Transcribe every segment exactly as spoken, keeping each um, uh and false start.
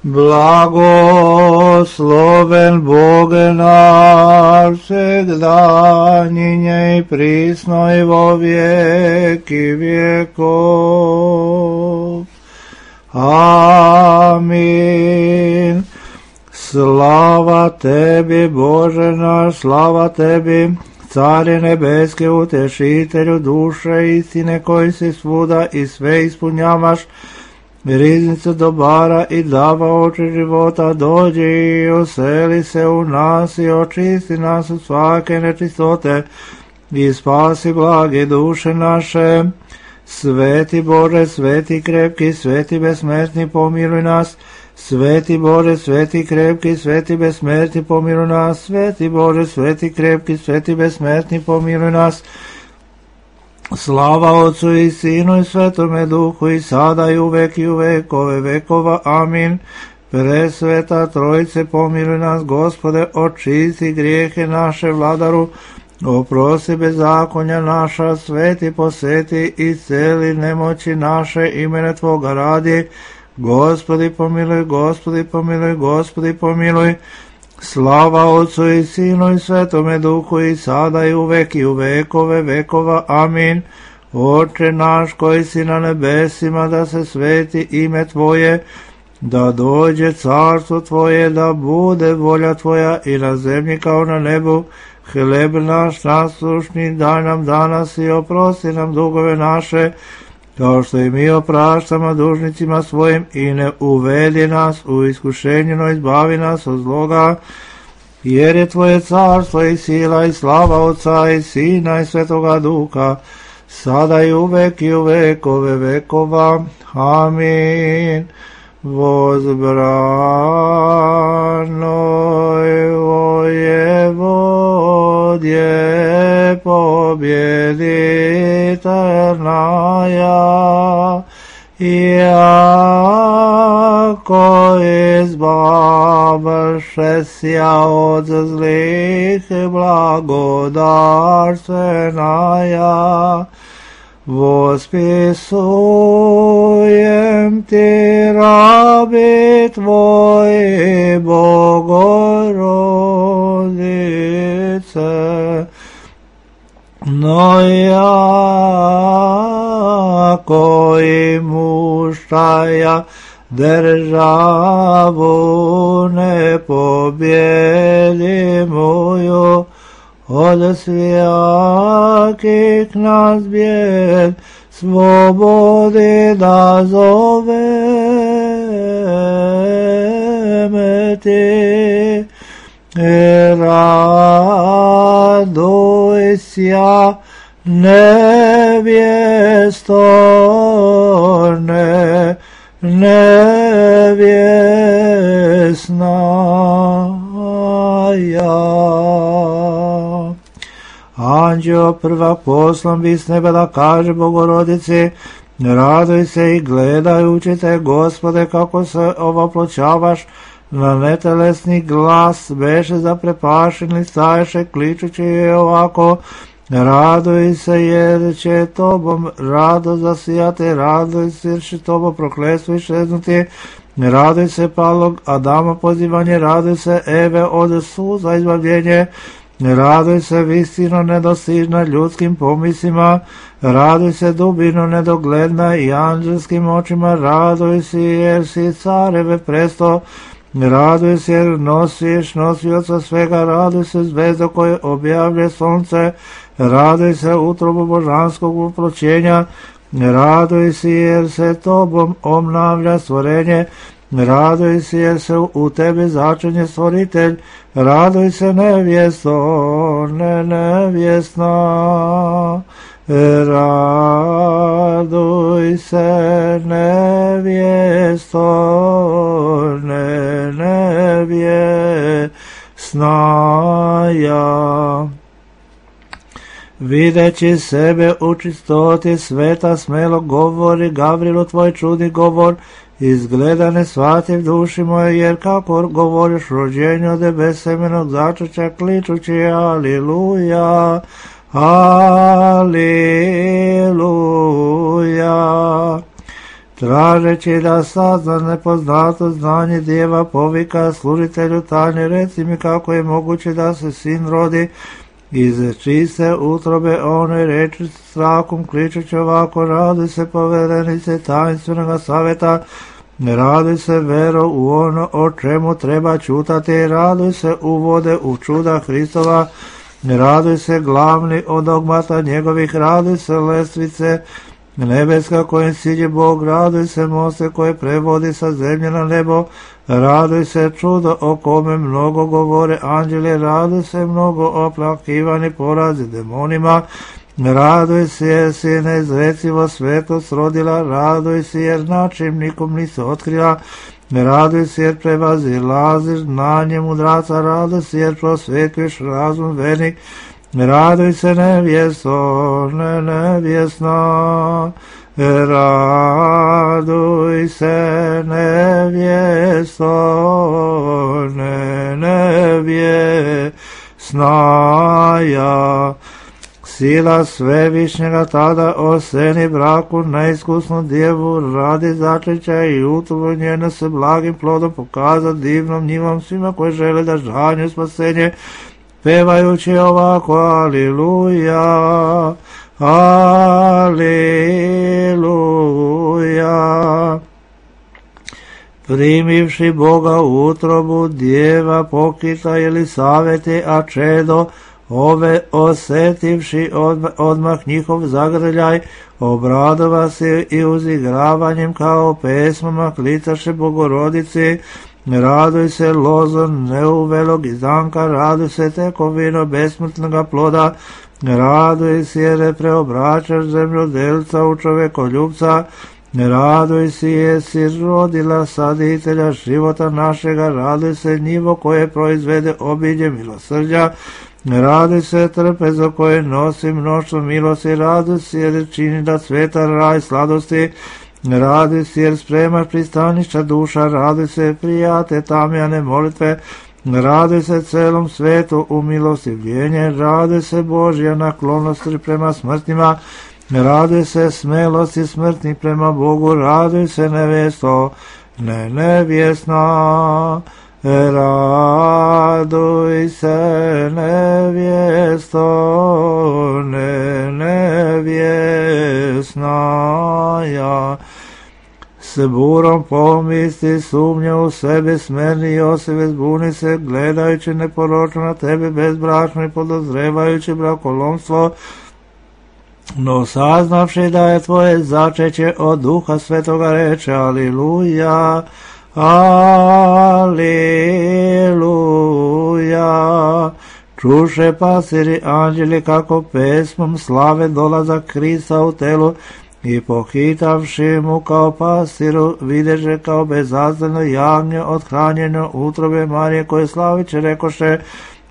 Blagosloven Boge naš, всегда, ныне и присно и во веки веков. Аминь. Слава Теbi, Боже наш, слава Tebi, Царе небески, утешителю душе истine, koji si svuda i sve ispunjavaš, riznicu dobara i dava oči života, dođi i oseli se u nas i očisti nas od svake nečistote i spasi blage duše naše. Sveti Bože, sveti krepki, sveti besmrtni, pomiluj nas. Sveti Bože, sveti krepki, sveti besmrtni, pomiluj nas. Sveti Bože, sveti krepki, sveti besmrtni, pomiluj nas. Slava Otcu i Sinu i Svetome Duhu i sada i uvek i u vekove vekova. Amin. Presveta Trojice, pomiluj nas, Gospode, očisti grijehe naše, Vladaru, oprosti bezakonja naša, sveti poseti i celi nemoći naše, imene Tvoga radi. Gospodi pomiluj, Gospodi pomiluj, Gospodi pomiluj. Slava Otcu i Sinu i Svetome Duhu i sada i uvek i u vekove vekova. Amin. Oče naš koji si na nebesima, da se sveti ime Tvoje, da dođe carstvo Tvoje, da bude volja Tvoja i na zemlji kao na nebu. Hleb naš naslušni daj nam danas i oprosti nam dugove naše, kao što i mi opraštamo dužnicima svojim, i ne uvedi nas u iskušenje, no izbavi nas od zloga, jer je Tvoje carstvo i sila i slava Otca i Sina i Svetoga Duha, sada i uvek i u vekove vekova. Amin. Возбранoj воеводje победительная, яко избавшеся от злых благодарственная, восписуем Ти, раби Твои, Богородице, но яко имущая державу непобедимую, od svjakih nas bijed svobodi da zoveme Ti. Radujся, nevjesto, ne, nevjesna ja. Anđeo prvak poslan bi s neba da kaže Bogorodici, raduj se i gledajući Te, Gospode, kako se ovoploćavaš, na netelesni glas beše zaprepašeni, staješe kličući je ovako, raduj se jer će Tobom rado zasijati, raduj se jer će Tobo prokletstvo iščeznuti, raduj se palog Adama pozivanje, raduj se Eve od suza izbavljenje, raduj se visino nedostižna ljudskim pomislima, raduj se dubino nedogledna i anđelskim očima, raduj se jer si careve presto, raduj se jer nosiš nosioca svega, raduj se zvezdo koje objavlje sunce, raduj se utrobu božanskog uploćenja, raduj se jer se Tobom obnavlja stvorenje, raduj se jer se u Tebi začinje stvoritelj, raduj se nevjesto, ne nevjesna, raduj se nevjesto, ne nevjesna ja. Videći sebe u čistoti sveta, smelo govori Gavrilu tvoj čudni govor, izgleda ne shvativ duši moje, jer kako govoriš rođenju od tebe semenog začeća, kličući aliluja, aliluja. tražeći da sazna nepoznato znanje djeva, povika služitelju tajne, reci mi kako je moguće da se sin rodi iz čiste utrobe one, reči strahom kličući ovako, raduj se poverenice tajnstvenog savjeta, raduj se vero u ono o čemu treba čutati, raduj se uvode u čuda Hristova, raduj se glavni od dogmata njegovih, raduj se lestvice nebeska kojim siđe Bog, raduj se moste koje prevodi sa zemlje na nebo, raduj se čudo o kome mnogo govore anđeli, raduj se mnogo oplakivani porazi demonima, raduj se jer si neizrecivo svetost rodila, raduj se jer način nikom nisi otkrila, raduj se jer prevazilaziš znanje mudraca, raduj se jer prosvetuješ razum vernik, raduj se nevjesto, ne nevjesna, raduj se nevjesto, ne nevjesna ja. Sila svevišnjega tada oseni braku neiskusnu djevu radi začeća i utrubu njeno se blagim plodom pokaza divnom njivom svima koji žele da žanju spasenje, pevajući ovako aliluja, aliluja. Primivši Boga u utrobu djeva pokita Elisavete, a čedo ove osetivši odmah, odmah njihov zagrljaj, obradova se i uzigravanjem kao pesmama klicaše Bogorodici, raduj se lozo neuvelog izdanka, raduj se tekovino besmrtnoga ploda, raduj se jer je preobraćaš zemljodelca u čovekoljubca, raduj se jesi rodila saditelja života našega, raduj se njivo koje proizvede obilje milosrđa, raduj se trpezo koje nosi mnoštvo milosti, raduj se jer čini da sveta raj sladosti, raduj se jer spremaš pristaništa duša, raduj se prijate tamjane molitve, raduj se celom svetu u milostivljenje, raduj se Božja naklonost prema smrtima, raduj se smelosti smrtnih prema Bogu, raduj se nevjesto, ne nevjesna, raduj se nevjesto, ne nevjesna ja. S burom pomisli sumnja u sebe, smerni Joseve zbuni se, gledajući neporočno na tebe bezbračno i podozrevajući brakolomstvo, no saznavši da je tvoje začeće od Duha Svetoga reče aliluja, aliluja. Čuše pasiri anđeli kako pesmom slave dolazak Krista u telu i pohitavši mu kao pasiru videže kao bezazdano jagnje othranjeno utrobe Marije koje slaviće rekoše,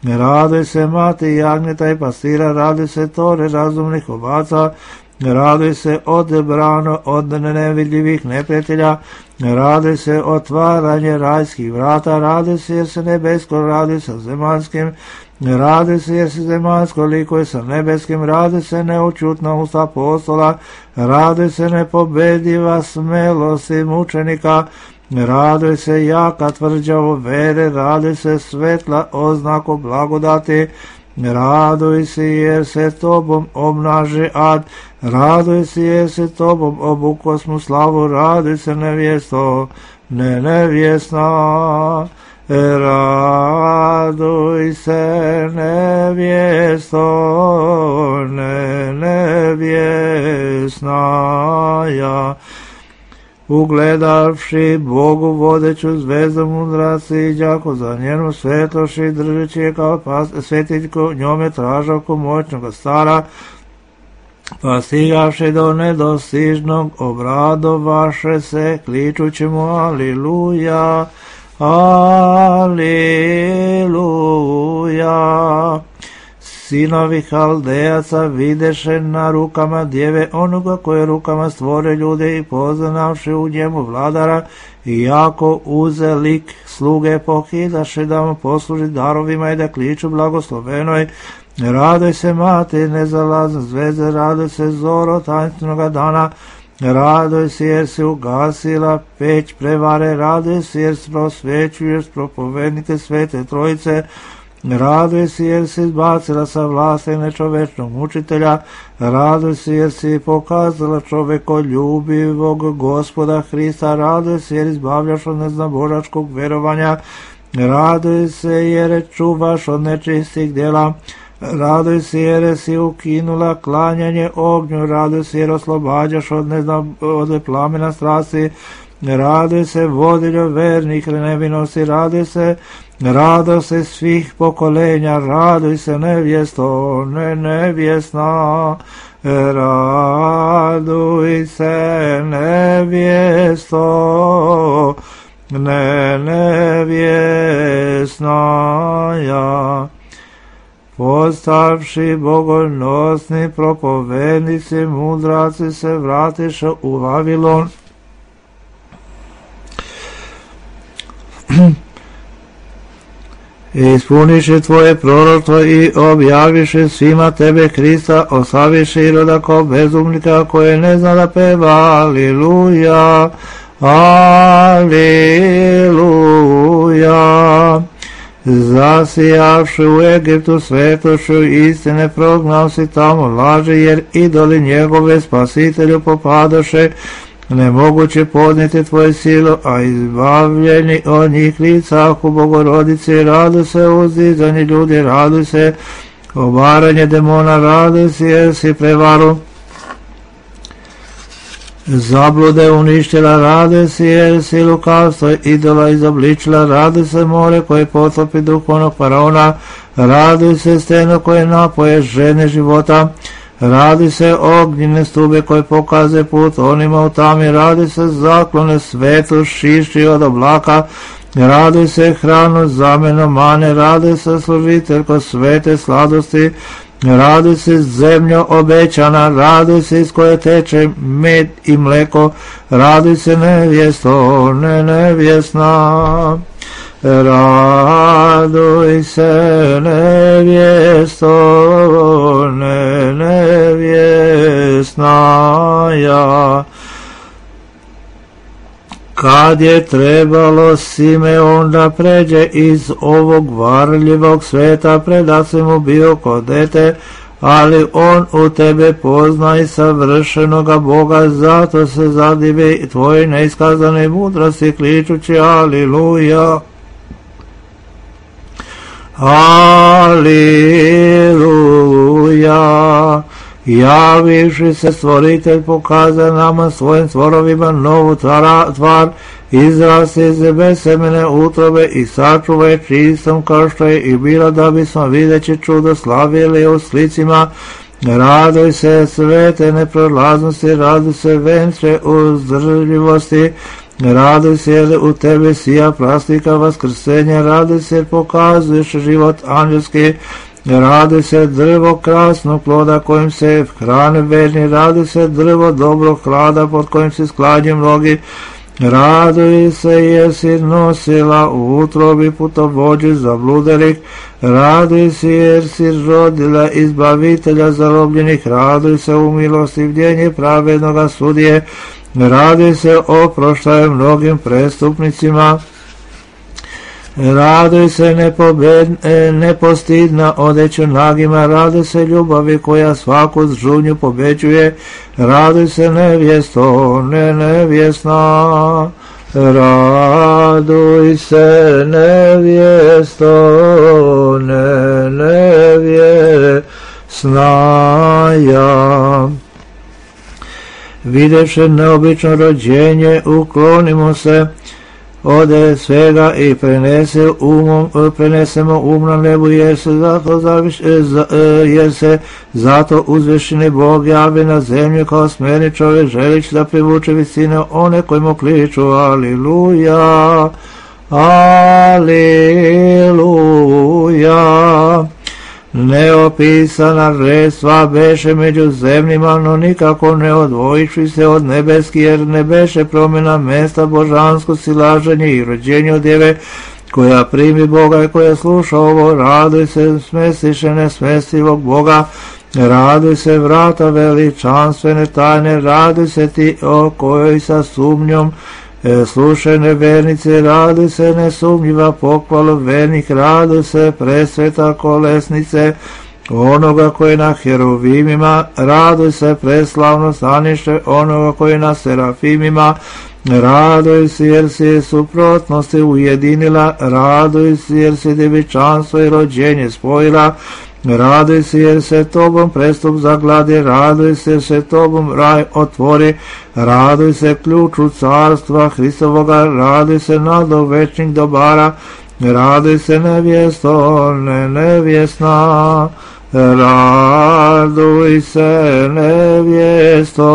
raduj se mati jagnjeta i pastira, raduj se tore razumnih ovaca, raduj se odebrano od nevidljivih neprijatelja, raduj se otvaranje rajskih vrata, raduj se jer se nebesko raduj sa zemaljskim, raduj se jer se zemaljsko likuje sa nebeskim, raduj se neučutna usta apostola, raduj se nepobediva smelosti mučenika, raduj se jaka tvrđavo vere, raduj se svetla oznaku blagodati, raduj se jer se tobom obnaže ad, raduj se jer se tobom obukosmu slavu, raduj se nevjesto, ne nevjesna, raduj se nevjesto, ne nevjesna ja. Ugledavši Bogu vodeću zvezdu mudraci i đako za njenu svetloši, držeći je kao svetiljko, njome tražavku moćnoga stara, pa stigavši do nedostižnog obradovaše se, kličući mu aliluja, aliluja. Sinovi Haldejaca videše na rukama djeve onoga koje rukama stvore ljude i poznavši u njemu vladara, i jako uze lik sluge pohidaše da mu posluži darovima i da kliču blagoslovenoj, raduj se mati nezalazne zvezde, raduj se zoro tainstvenog dana, Raduj se jer si ugasila peć prevare, raduj se jer prosvećuješ propovednike Svete Trojice, raduj se jer si izbacila sa vlasti nečovečnog mučitelja, raduj se jer si pokazala čovekoljubivog Gospoda Hrista, raduj se jer izbavljaš od neznabožačkog verovanja, raduj se jer čuvaš od nečistih djela, raduj se jer si ukinula klanjanje ognju, raduj se jer oslobađaš od, neznam, od plamena strasti, raduj se vodiljo vernih nevinosti, raduj se raduj se svih pokolenja, raduj se nevjesto, ne nevjesna, raduj se nevjesto, ne nevjesna ja. Postavši bogonosni propovednici, mudraci se vratiše u Vavilon. Ispuniše tvoje proroštvo i objaviše svima tebe Hrista, oslaviše Iroda kao bezumnika koje ne zna da peva. Aliluja, aliluja. Zasijavši u Egiptu svetošću istine, prognao si tamo laže, jer idoli njegove spasitelju popadoše, nemoguće podnijeti tvoje silo, a izbavljeni od njih licahu Bogorodice, raduj se uzdizani ljudi, raduj se obaranje demona, raduj se jer si prevaru zablude uništila, raduj se jer si lukavstvo idola izobličila, raduj se more koje potopi duhovnog faraona, raduj se steno koje napoje žene života, raduj se ognjene stube koje pokaze put onima u tami, raduj se zaklone svetu šišći od oblaka, raduj se hranu zameno mane, raduj se služiteljko svete sladosti, raduj se zemljo obećana, raduj se iz koje teče med i mleko, raduj se nevjesto, ne nevjesna, raduj se nevjesto, ne nevjesna ja. Kad je trebalo Simeon da pređe iz ovog varljivog sveta, preda se mu bio ko dete, ali on u tebe pozna i savršenoga Boga, zato se zadive tvoje neiskazane mudrosti, kličući aliluja. Aliluja. Javivši se stvoritelj pokaza nama svojim stvorovima novu tvara, tvar, izrasti iz bez semene utrobe i sačuvaj čistom kao što je i bila, da bismo videći čudo slavili u slicima. Raduj se svete neprolaznosti, raduj se venče uzdržljivosti, raduj se jer u tebi sija plastika vaskrsenja, raduj se jer pokazuješ život anđelski, raduj se drvo krasnog ploda kojim se hrane verni, raduj se drvo dobrog hlada pod kojim se skladnju mnogi, raduj se jer si nosila u utrobi putovođi zabludelih, raduj se jer si rodila izbavitelja zarobljenih, raduj se u milostivljenje pravednoga sudije, raduj se oproštaju mnogim prestupnicima, raduj se nepobed, nepostidna odeću nagima, raduj se ljubavi koja svaku žunju pobeđuje, raduj se nevjesto, ne nevjesna, raduj se nevjesto, ne nevjesna ja. Videvši neobično rođenje, uklonimo se ode svega i prenese umom, prenesemo um na nebu, jer se zato, zaviš, jer se zato uzvišeni Bog javi na zemlju kao smjerni čovjek, želić da privuče visine one koji mu kliču aliluja, aliluja. Neopisana redstva beše među zemljima, no nikako ne odvojiši se od nebeski, jer ne beše promjena mesta božansko silaženje i rođenje od djeve, koja primi Boga i koja sluša ovo, raduj se smestiše nesmestivog Boga, Raduj se vrata veličanstvene tajne, raduj se ti o kojoj sa sumnjom e, slušaj nevernice, raduj se nesumnjiva pohvalu vernik, raduj se presveta kolesnice onoga koji na heruvimima, raduj se preslavno stanište onoga koji na serafimima, raduj se jer si suprotnosti ujedinila, raduj se jer si djevičanstvo i rođenje spojila, raduj se jer se tobom prestup zagladi, raduj se jer se tobom raj otvori, raduj se ključu carstva Hristovoga, raduj se nado večnih dobara, raduj se nevjesto, ne nevjesna, raduj se nevjesto,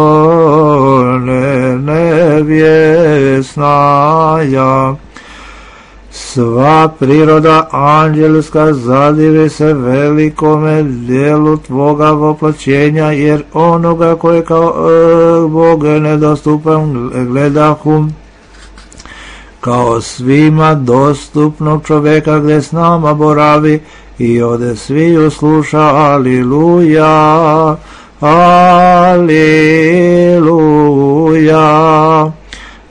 ne nevjesna ja. Sva priroda anđelska zadivi se velikome djelu tvoga voplaćenja, jer onoga koje kao e, Bog nedostupan gledahum, kao svima dostupnog čovjeka gdje s nama boravi i ode sviju sluša. Aliluja, aliluja.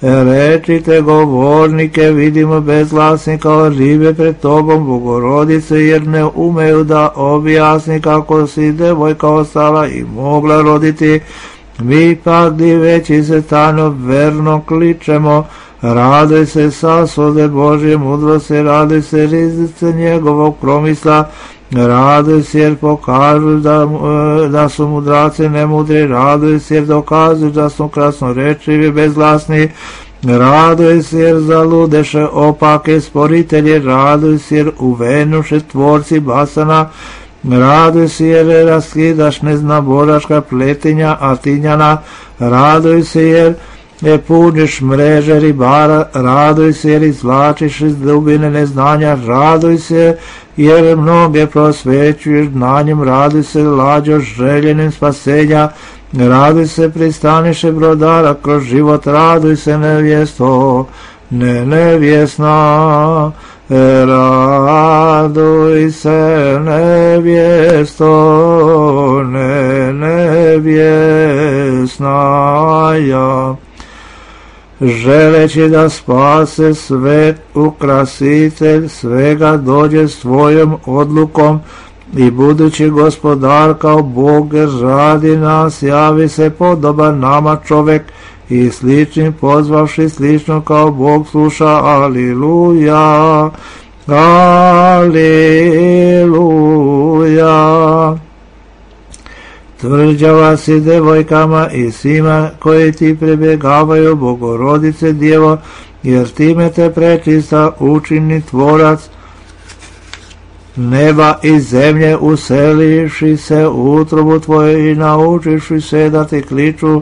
Rečite govornike, vidimo bezglasni kao ribe pred tobom, Bogorodice, jer ne umeju da objasni kako si devojka ostala i mogla roditi. Mi pak diveći se tajno verno kličemo, raduj se sasvode Božje mudrosti, raduj se rizice njegovog promisla, raduj se jer pokažu da, da su mudraci nemudri, raduj se jer dokazuju da su krasnorečivi bezglasni, raduj se jer zaludeše opake sporitelje, raduj se jer uvenuše tvorci basana, raduj se jer raskidaš neznaboraška pletinja Atinjana, raduj se jer ne puniš mreže ribara, raduj se jer izvlačiš iz dubine neznanja, raduj se jer mnoge prosvećuješ znanjem, raduj se lađo željenim spasenja, raduj se pristaniše brodara kroz život, raduj se nevjesto, ne nevjesna, raduj se nevjesto, ne nevjesna ja. Želeći da spase svet, ukrasitelj svega dođe svojom odlukom i budući gospodar kao Bog radi nas, javi se podoban nama čovek i sličnim pozvavši slično kao Bog sluša. Aliluja, aliluja. Tvrđava si devojkama i svima koji ti prebjegavaju, Bogorodice Djevo, jer time te prečista učini tvorac neba i zemlje, useliši se u utrobu tvoje i naučiši se da ti kliču.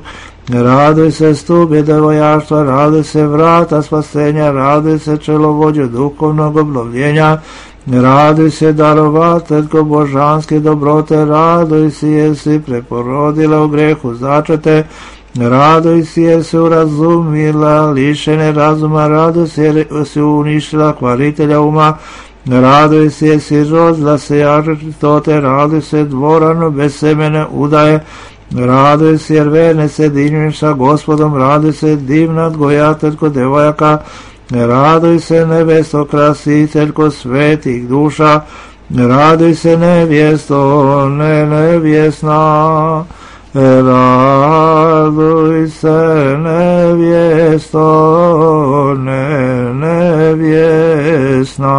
Raduj se stube devojaštva, raduj se vrata spasenja, raduj se čelovođe duhovnog obnovljenja, raduj se darovateljko božanske dobrote, raduj se jer si preporodila u grehu začete, raduj se jer si urazumila lišene razuma, raduj se jer si uništila kvaritelja uma, raduj se jer si rodila sejače čistote, raduj se dvorano bez semene udaje, raduj se jer verne se dinjuješ sa Gospodom, raduj se divna odgojateljko devojaka, raduj se nebesto krasiteljko svetih duša, raduj se nevjesto, ne nevjesna, raduj se nevjesto, ne nevjesna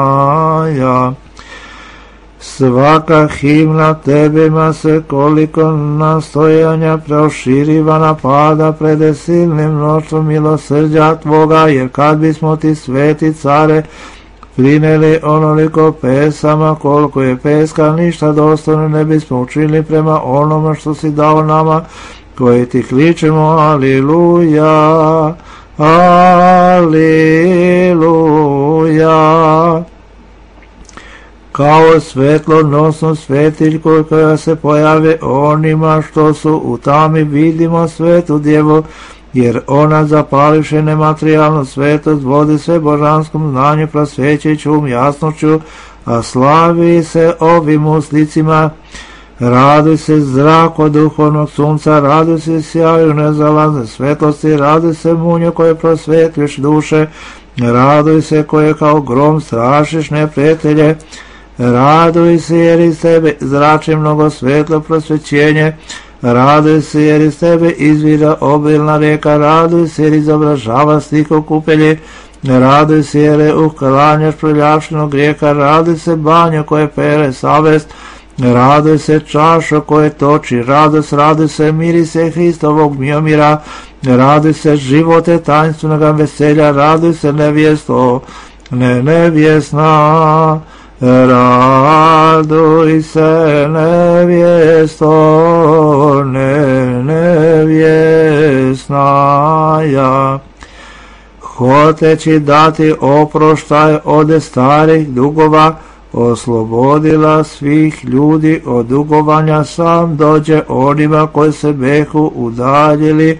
ja. Svaka himna tebima se koliko nastojanja proširiva napada pred silnim mnoštvom milosrđa tvoga, jer kad bismo ti sveti care prineli onoliko pesama koliko je peska, ništa dostojno ne bismo učinili prema onome što si dao nama koji ti kličemo. Aliluja, aliluja. Kao svetlonosnu svetiljku koja se pojave onima što su u tami, vidimo svetu djevo, jer ona zapališe nematerijalnu svetost, vodi sve božanskom znanju, prosvećujućom jasnošću, a slavi se ovim uslicima. Raduj se zrako duhovnog sunca, raduj se sjaju nezalazne svetlosti, raduj se munju koje prosvetliš duše, raduj se koje kao grom strašiš neprijatelje, raduj se jer iz tebe zrači mnogo svetlo prosvećenje, raduj se jer iz tebe izvira obilna rijeka, raduj se jer izobražava stiho kupelje, raduj se jer uklanjaš prljavštinu grijeha, raduj se banju koje pere savest, raduj se čašo koje toči radost, raduj se mirise Hristovog miomira, raduj se živote tainstvenog veselja, raduj se nevjesto, ne nevjesna, raduj se nevjesto, ne nevjesnaja. Hoteći dati oproštaj od starih dugova, oslobodila svih ljudi od dugovanja, sam dođe onima koji se behu udaljili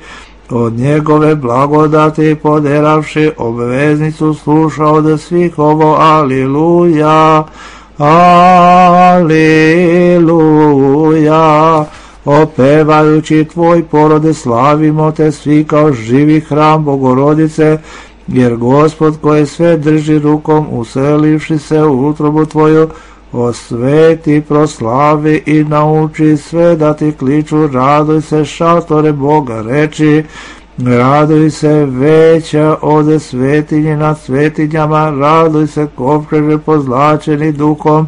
od njegove blagodati, poderavši obveznicu, sluša od svih ovo, aliluja, aliluja. Opevajući tvoj porode, slavimo te svi kao živi hram Bogorodice, jer Gospod koji sve drži rukom, uselivši se u utrobu tvoju, osveti, proslavi i nauči sve da ti kliču. Raduj se, šatore Boga reči, raduj se, veća od svetinje nad svetinjama, raduj se, kovčeže pozlačeni duhom,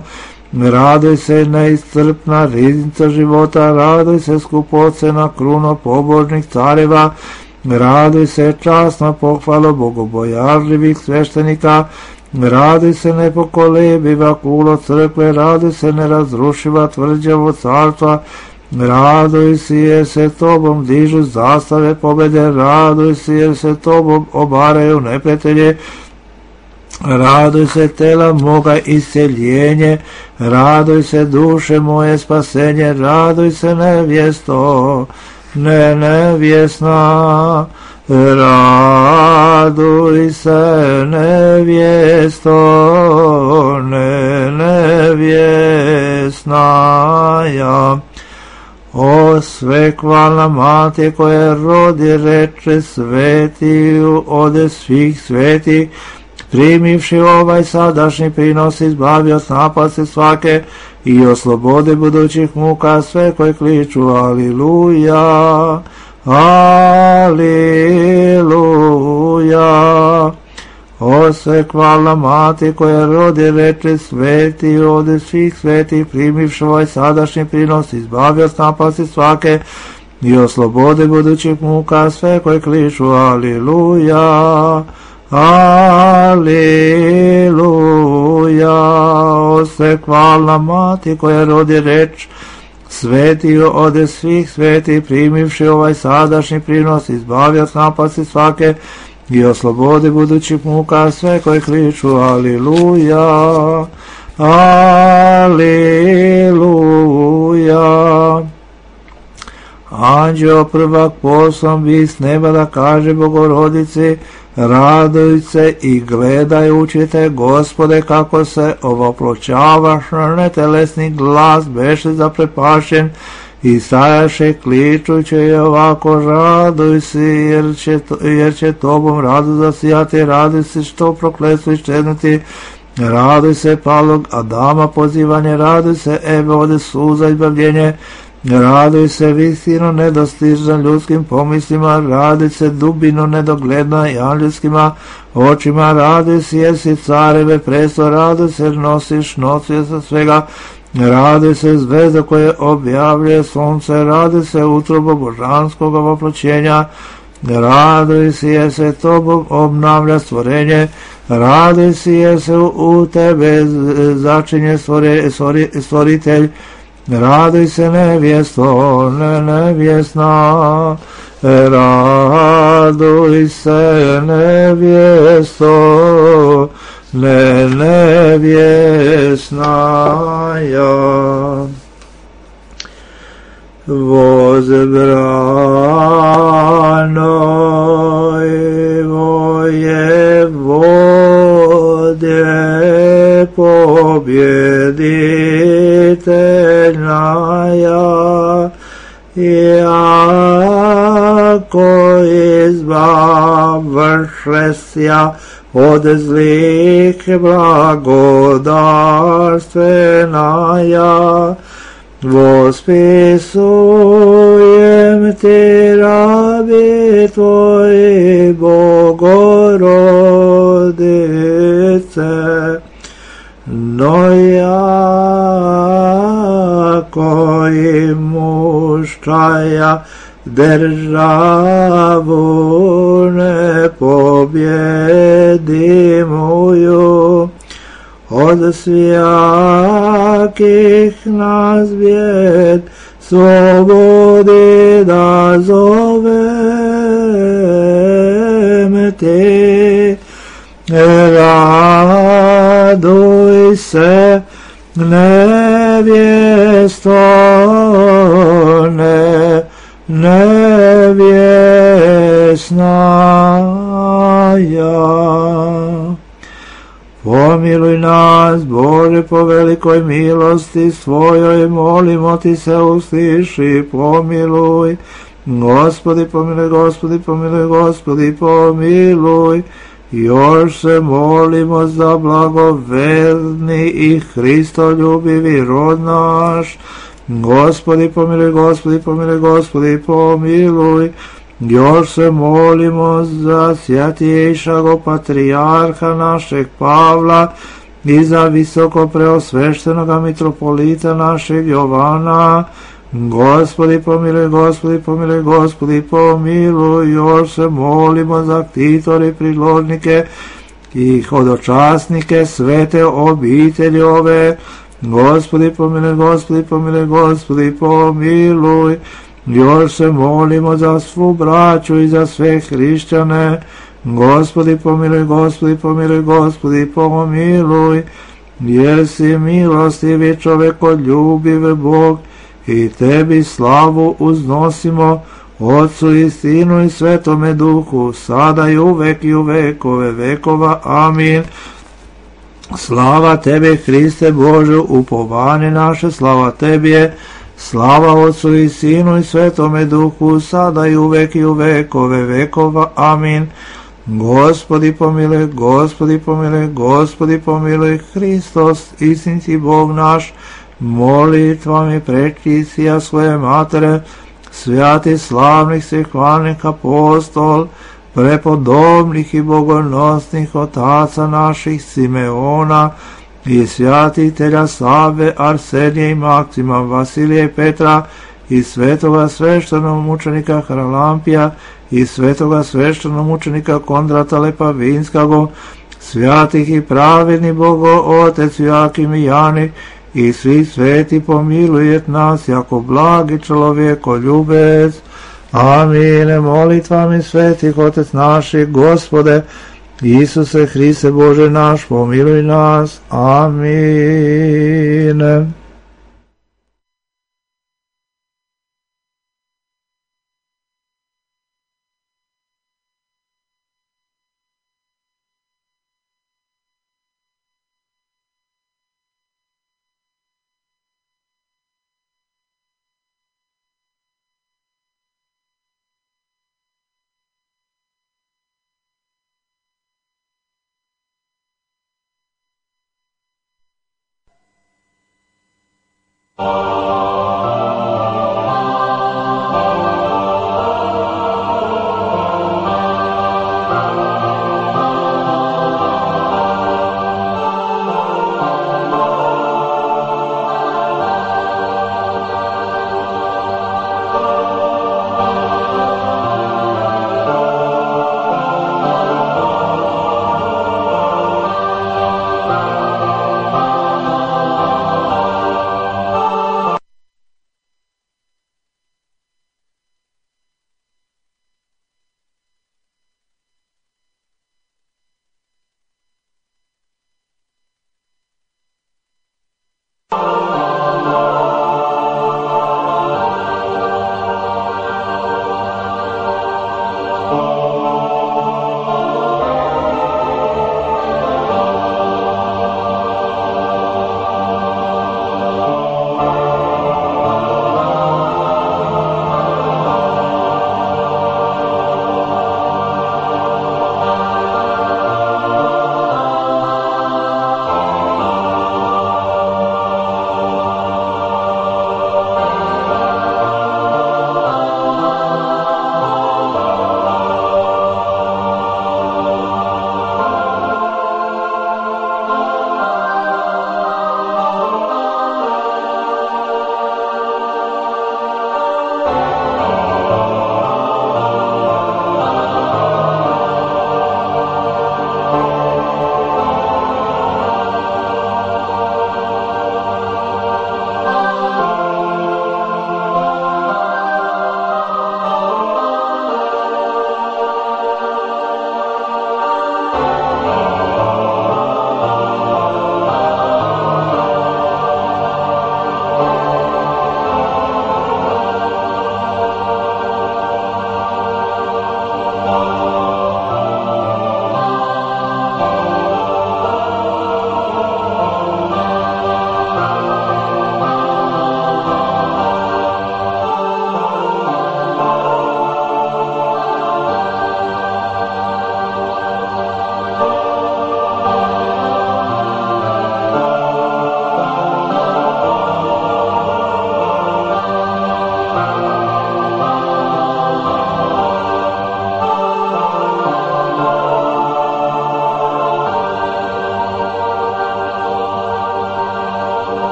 raduj se, neiscrpna riznica života, raduj se, skupocena kruno pobožnih careva, raduj se, časna pohvala bogobojazljivih sveštenika, raduj se, nepokolebiva kulo crkve, raduj se, nerazrušiva tvrđavo carstva, raduj se jer se tobom dižu zastave pobede, raduj se jer se tobom obaraju neprijatelje, raduj se tela moga isceljenje, raduj se duše moje spasenje, raduj se nevjesto, ne nevjesna, raduj se nevjesto, ne nevjesnaja. O svekvalna mati koja rodi reče svetiju od svih sveti, primivši ovaj sadašnji prinos, izbavi od napasti svake i oslobodi budućih muka sve koji kliču aliluja, aliluja. O svekvalna mati koja rodi reče sveti od svih sveti, primivši ovaj sadašnji prinos, izbavi od napasti svake i oslobodi budućih muka sve koji kliču aliluja, aliluja. O svekvalna mati koja rodi reč sveti od svih sveti, primivši ovaj sadašnji prinos, izbavi od napasti svake i oslobodi budućih muka sve koji kliču aliluja, aliluja. Anđeo prvak poslan bi s neba da kaže Bogorodici, raduj se i gledajući te, Gospode, kako se ovoploćavaš, netelesni glas beše zaprepašen i stajaše kličući i ovako, raduj se jer će, jer će tobom radu zasijati, raduj se što prokletstvo iščeznuti, raduj se palog Adama pozivanje, raduj se Eve ode suza izbavljenje, raduj se visino nedostižna ljudskim pomislima, raduj se dubino nedogledna i angelskima očima, raduj se jer si careve presto, raduj se jer nosiš nosioca svega, raduj se zvezda koje objavljuje sunce, raduj se utrobo božanskog ovoploćenja, raduj se jer se tobom obnavlja stvorenje, raduj se jer se u tebe začinje stvore, stvori, stvoritelj, raduj se nevjesto, ne nevjesna, raduj se nevjesto, ne nevjesnaja. Возбранoj vojevode, pobjeditelj naš, Iako izbavšesja od zlih blagodarstvenaja, vospisujem ti rabi tvoji Bogorodice, no jako i muščaja državu ne pobjedimuju, od svijakih nas bijed slobodi da zovem ti. Raduj se, nevjesto, ne, nevjesnaja. Pomiluj nas, Bože, po velikoj milosti svojoj, molimo ti se, usliši, pomiluj. Gospodi, pomiluj, Gospodi, pomiluj, Gospodi, pomiluj. Još se molimo za blagoverni i Hristoljubivi rod naš. Gospodi, pomiluj, Gospodi, pomiluj, Gospodi, pomiluj. Još se molimo za svjatiješago patrijarha našeg Pavla i za visoko preosveštenoga mitropolita našeg Jovana. Gospodi, pomiluj, Gospodi, pomiluj, Gospodi, pomiluj. Još se molimo za ktitore, priložnike i hodočasnike svete obitelji ove. Gospodi, pomiluj, Gospodi, pomiluj, Gospodi, pomiluj. Još se molimo za svu braću i za sve hrišćane. Gospodi, pomiluj, Gospodi, pomiluj, Gospodi, pomiluj. Jer si milostivi čovekoljubiv Bog, i tebi slavu uznosimo, Otcu i Sinu i Svetome Duhu, sada i uvek i u vekove vekova. Amin. Slava tebi, Hriste Bože, upovanje naše, slava tebi je. Slava Otcu i Sinu i Svetome Duhu, sada i uvek i u vekove vekova. Amin. Gospodi pomiluj, Gospodi pomiluj, Gospodi pomiluj, Hristos, istinski Bog naš, molitvami prečistija svoje matere, svjati slavnih svih hvalnih apostol, prepodobnih i bogonosnih otaca naših Simeona i svjatitelja Save, Arsenija i Maksima, Vasilija i Petra i svetoga sveštenog mučenika Haralampija i svetoga sveštenog mučenika Kondrata Lepavinskago, svjatih i pravedni Bogo Otec Joakim i Jani i svi sveti pomilujet nas jako blagi čovjekoljubec. Amin. Molitvami svetih Otec naših, Gospode Isuse Hriste Bože naš, pomiluj nas. Amin.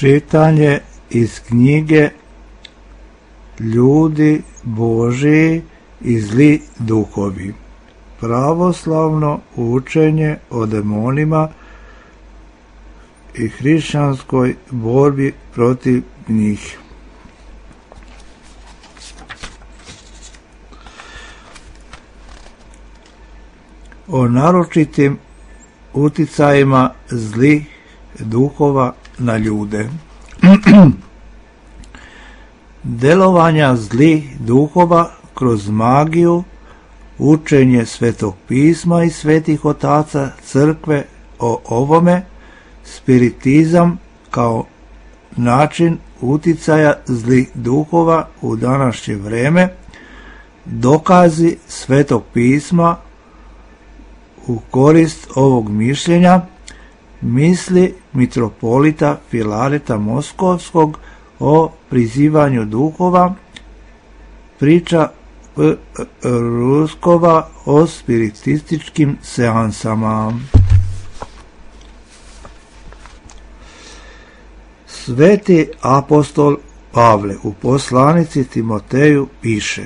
Čitanje iz knjige Ljudi Božiji i zli duhovi. Pravoslavno učenje o demonima i hrišćanskoj borbi protiv njih. O naročitim uticajima zlih duhova na ljude. Delovanja zlih duhova kroz magiju, učenje Svetog pisma i svetih otaca crkve o ovome, spiritizam kao način uticaja zlih duhova u današnje vreme, dokazi Svetog pisma u korist ovog mišljenja, misli mitropolita Filareta Moskovskog o prizivanju duhova, priča P. Ruskova o spiritističkim seansama. Sveti apostol Pavle u poslanici Timoteju piše: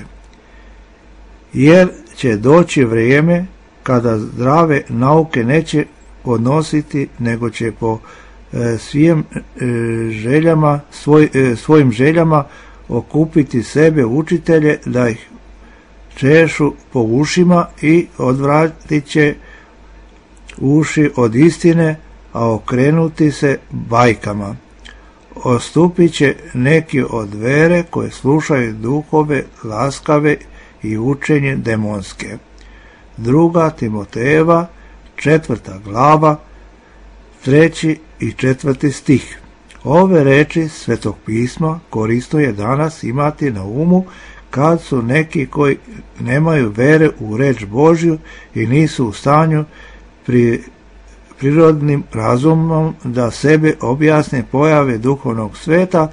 jer će doći vrijeme kada zdrave nauke neće podnositi, nego će po e, svim e, željama, svoj, e, svojim željama okupiti sebe učitelje da ih češu po ušima i odvratit će uši od istine, a okrenuti se bajkama. Ostupit će neki od vere koje slušaju duhove laskave i učenje demonske. Druga Timotejeva, četvrta glava, treći i četvrti stih. Ove reči Svetog pisma korisno je danas imati na umu kad su neki koji nemaju vere u reč Božju i nisu u stanju pri prirodnim razumom da sebe objasne pojave duhovnog sveta,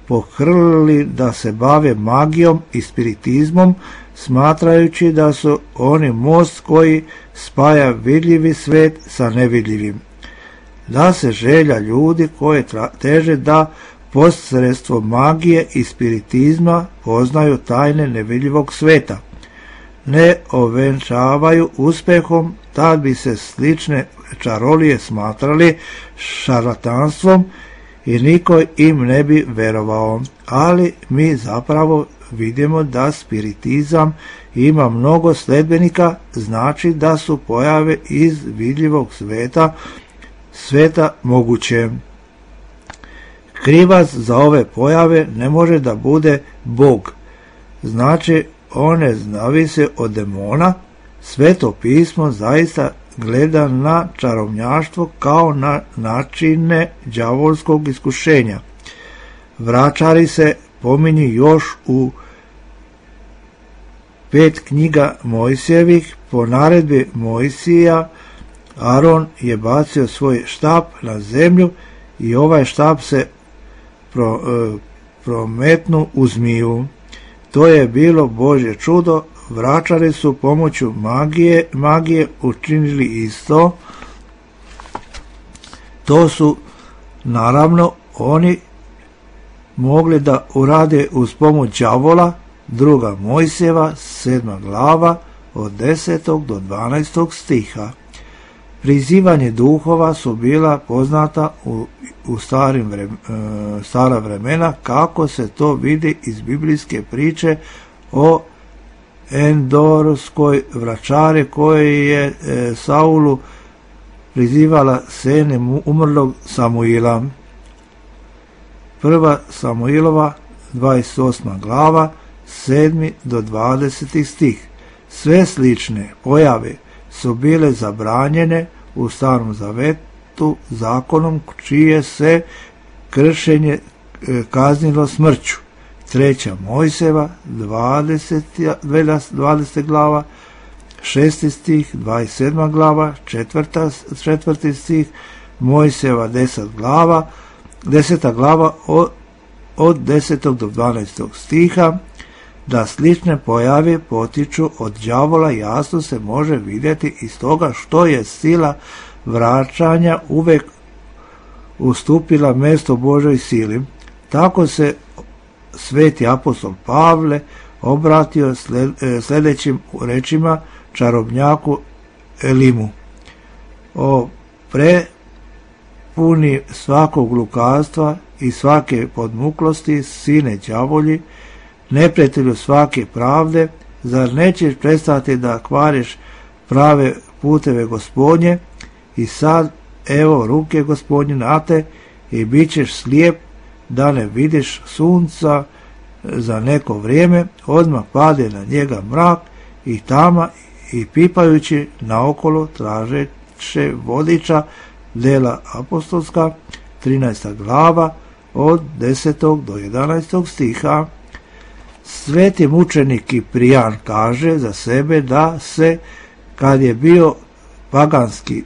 pohrlili da se bave magijom i spiritizmom, smatrajući da su oni most koji spaja vidljivi svet sa nevidljivim. Da se želja ljudi koje teže da posredstvom magije i spiritizma poznaju tajne nevidljivog sveta ne ovenčavaju uspehom, tad bi se slične čarolije smatrali šarlatanstvom i niko im ne bi verovao. Ali mi zapravo vidimo da spiritizam ima mnogo sledbenika, znači da su pojave iz vidljivog sveta sveta moguće. Krivac za ove pojave ne može da bude Bog, znači one zavise od demona. Sveto pismo zaista gleda na čarobnjaštvo kao na načine đavolskog iskušenja. Vračari se pominju još u pet knjiga Mojsijevih. Po naredbi Mojsija Aron je bacio svoj štap na zemlju i ovaj štap se pro, e, prometnu u zmiju. To je bilo Božje čudo. Vračari su pomoću magije, magije učinili isto. To su naravno oni mogli da urade uz pomoć đavola. Druga Mojsijeva, sedma glava, od desetog do dvanaestog stiha. Prizivanje duhova su bila poznata u, u starim vrem, e, stara vremena, kako se to vidi iz biblijske priče o Endorskoj vračari koji je e, Saulu prizivala sene umrlog Samuila. Prva Samuilova, dvadeset osma glava, sedmi do dvadeseti stih. Sve slične pojave su bile zabranjene u Starom zavetu zakonom čije se kršenje kaznilo smrću. Treća Mojsijeva, dvadeseta glava, šesti stih, dvadeset sedma glava, četvrta, četvrti stih, Mojsijeva deset glava, deseta glava od, od desetog do dvanaestog stiha. Da slične pojave potiču od đavola jasno se može vidjeti iz toga što je sila vraćanja uvek ustupila mesto Božoj sili. Tako se sveti apostol Pavle obratio sljedećim rečima čarobnjaku Elimu: o prepuni svakog lukavstva i svake podmuklosti, sine đavolji, neprijatelju svake pravde, zar nećeš prestati da kvariš prave puteve Gospodnje? I sad, evo, ruke Gospodnje na te i bit ćeš slijep da ne vidiš sunca za neko vrijeme. Odmah pade na njega mrak i tama i pipajući naokolo tražeće vodiča. Dela apostolska, trinaesta glava, od desetog do jedanaestog stiha. Sveti mučenik Kiprijan kaže za sebe da se, kad je bio paganski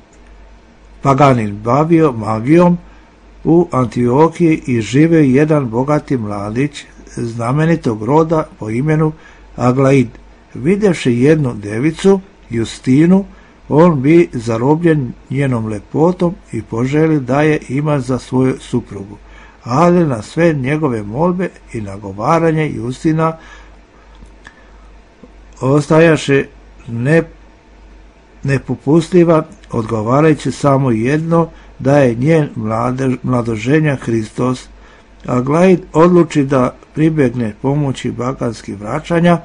paganin bavio magijom u Antiohiji i živeo jedan bogati mladić znamenitog roda po imenu Aglaid. Videvši jednu devicu, Justinu, on bi zarobljen njenom lepotom i poželi da je ima za svoju suprugu. Ali na sve njegove molbe i nagovaranje Justina ostajaše ne, nepopustljiva, odgovarajući samo jedno, da je njen mlade, mladoženja Hristos. Aglaid odluči da pribjegne pomoći baganskih vraćanja,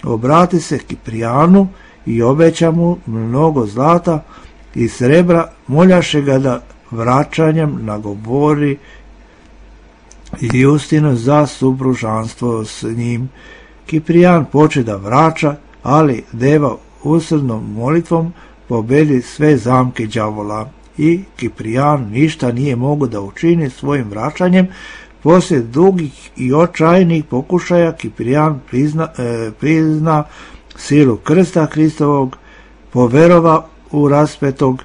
obrati se Kiprijanu i obeća mu mnogo zlata i srebra, moljaše ga da vraćanjem nagovori Justinu za supružanstvo s njim. Kiprijan poče da vraća, ali deva usrdnom molitvom pobedi sve zamke đavola i Kiprijan ništa nije mogo da učini svojim vraćanjem. Poslije dugih i očajnih pokušaja Kiprijan prizna, e, prizna silu krsta Hristovog, poverova u raspetog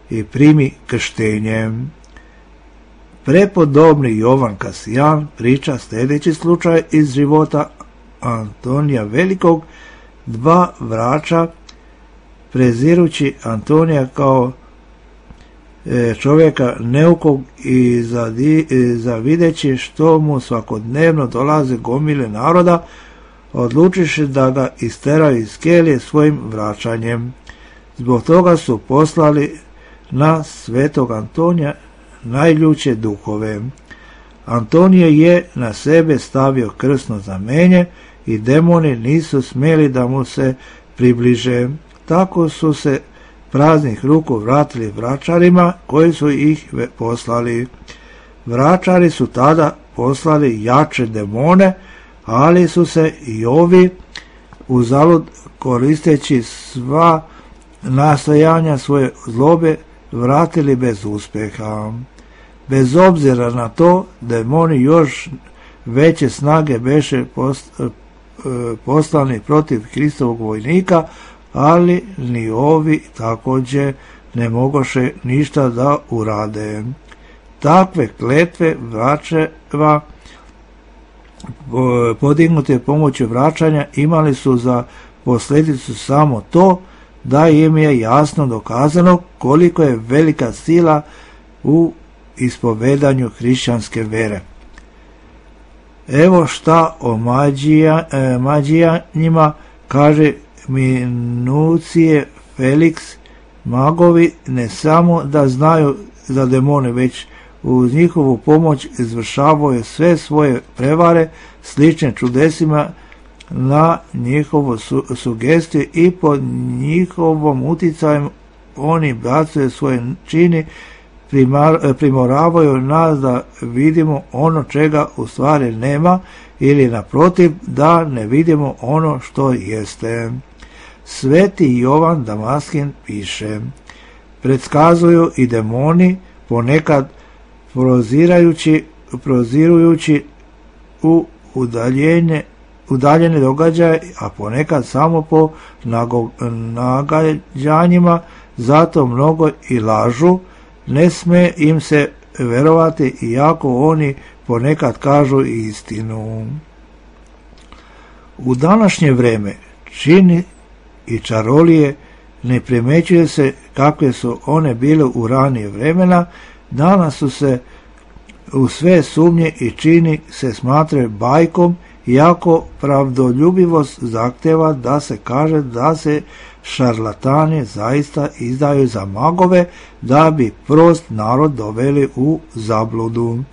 i primi krštenjem. Prepodobni Jovan Kasijan priča sljedeći slučaj iz života Antonija Velikog. Dva vraća, prezirući Antonija kao čovjeka neukog i zavideći što mu svakodnevno dolaze gomile naroda, odlučiše da ga isteraju iz kelije svojim vraćanjem. Zbog toga su poslali na svetog Antonija najljuće duhove. Antonije je na sebe stavio krsno znamenje i demoni nisu smjeli da mu se približe. Tako su se praznih ruku vratili vračarima koji su ih poslali. Vračari su tada poslali jače demone, ali su se i ovi uzalud koristeći sva nastojanja svoje zlobe vratili bez uspjeha. Bez obzira na to, demoni još veće snage beše poslani protiv Hristovog vojnika, ali ni ovi također ne mogoše ništa da urade. Takve kletve vračeva podignute pomoću vraćanja imali su za posljedicu samo to da im je jasno dokazano koliko je velika sila u ispovedanju hrišćanske vere. Evo šta o mađija, e, mađijanima kaže Minucije Felix. Magovi ne samo da znaju za demone, već uz njihovu pomoć izvršavaju sve svoje prevare slične čudesima na njihovu su, sugestiju i pod njihovom utjecajem oni bacuju svoje čini, primar, primoravaju nas da vidimo ono čega u stvari nema ili naprotiv da ne vidimo ono što jeste. Sveti Jovan Damaskin piše: predskazuju i demoni ponekad prozirajući, prozirujući u udaljenje, udaljene događaje, a ponekad samo po nagađanjima, zato mnogo i lažu, ne sme im se verovati iako oni ponekad kažu istinu. U današnje vrijeme čini i čarolije ne primećuje se kakve su one bile u ranije vremena. Danas su se u sve sumnje i čini se smatra bajkom, iako pravdoljubivost zahteva da se kaže da se šarlatani zaista izdaju za magove da bi prost narod doveli u zabludu.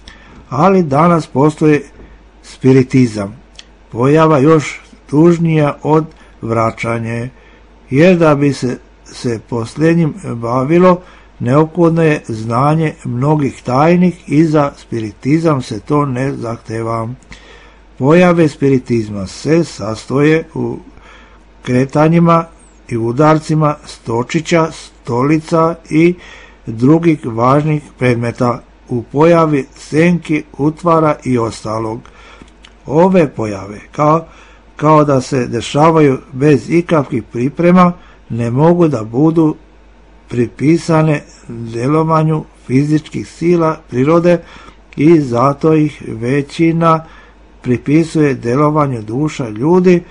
Ali danas postoji spiritizam, pojava još tužnija od vraćanje, jer da bi se, se posljednjim bavilo, neophodno je znanje mnogih tajnih i za spiritizam se to ne zahteva. Pojave spiritizma se sastoje u kretanjima i udarcima stočića, stolica i drugih važnih predmeta, u pojavi senki, utvara i ostalog. Ove pojave, kao, kao da se dešavaju bez ikakvih priprema, ne mogu da budu pripisane djelovanju fizičkih sila prirode i zato ih većina pripisuje djelovanju duša ljudi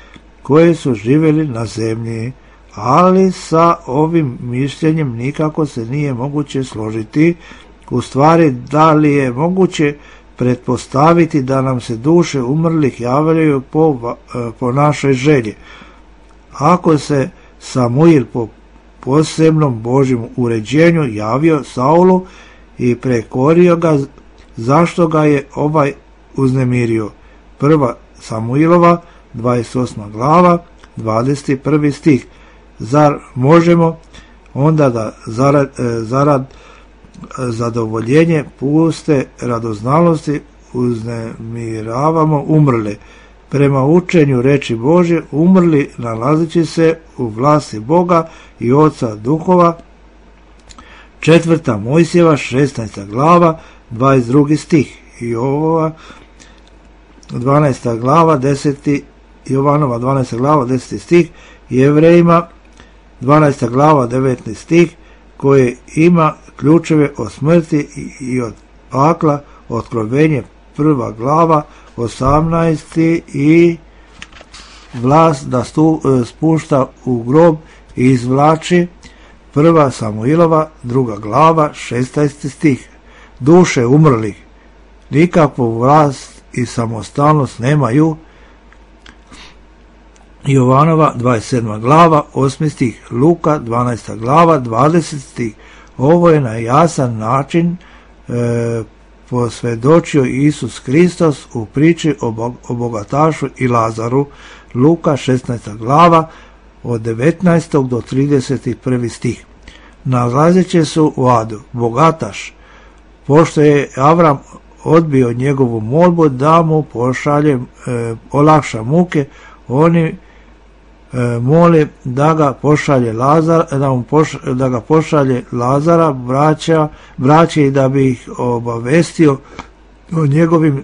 koji su živjeli na zemlji, ali sa ovim mišljenjem nikako se nije moguće složiti. U stvari, da li je moguće pretpostaviti da nam se duše umrlih javljaju po, po našoj želji? Ako se Samuil po posebnom Božjem uređenju javio Saulu i prekorio ga, zašto ga je ovaj uznemirio? Prva Samuilova, dvadeset osma glava, dvadeset prvi stih. Zar možemo onda da zarad, zarad zadovoljenje puste radoznalosti uznemiravamo umrle? Prema učenju reči Božje, umrli nalazići se u vlasti Boga i Oca duhova. Četvrta Mojsijeva, šesnaesta glava, dvadeset drugi stih. I ova dvanaesta glava, deseti Jovanova dvanaesta glava, deseti stih. Jevrejima dvanaesta glava, devetnaesti stih, koji ima ključeve od smrti i od pakla, Otkrovenje prva glava, osamnaesti i vlast da stu, spušta u grob i izvlači, prva Samuilova, druga glava, šesnaesti stih. Duše umrlih nikakvu vlast i samostalnost nemaju. Jovanova dvadeset sedma glava, osmi stih. Luka dvanaesta glava, dvadeseti stih. Ovo je na jasan način e, posvjedočio Isus Hristos u priči o, o bogatašu i Lazaru. Luka šesnaesta glava, od devetnaestog do trideset prvi stih. Nalazeći se u adu bogataš, pošto je Avram odbio njegovu molbu da mu pošalje, e, olakša muke, oni e, moli da ga pošalje Lazar, da, mu poš, da ga pošalje Lazara, braća, braće i da bi ih obavestio o njegovim